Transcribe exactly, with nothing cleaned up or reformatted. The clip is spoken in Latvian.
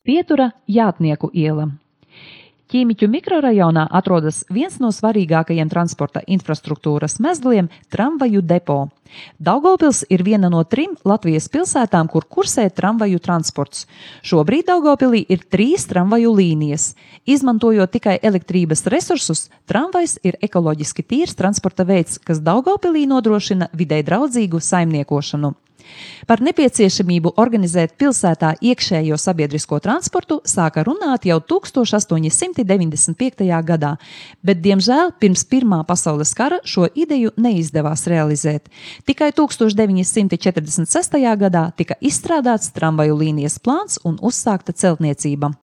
Pietura Jātnieku iela. Ķīmiķu mikrorajonā atrodas viens no svarīgākajiem transporta infrastruktūras mezgliem – tramvaju depo. Daugavpils ir viena no trim Latvijas pilsētām, kur kursē tramvaju transports. Šobrīd Daugavpilī ir trīs tramvaju līnijas. Izmantojot tikai elektrības resursus, tramvajs ir ekoloģiski tīrs transporta veids, kas Daugavpilī nodrošina videi draudzīgu saimniekošanu. Par nepieciešamību organizēt pilsētā iekšējo sabiedrisko transportu sāka runāt jau tūkstoš astoņi simti deviņdesmit piektajā gadā, bet, diemžēl, pirms Pirmā pasaules kara šo ideju neizdevās realizēt. Tikai tūkstoš deviņi simti četrdesmit sestajā gadā tika izstrādāts tramvaju līnijas plāns un uzsākta celtniecība.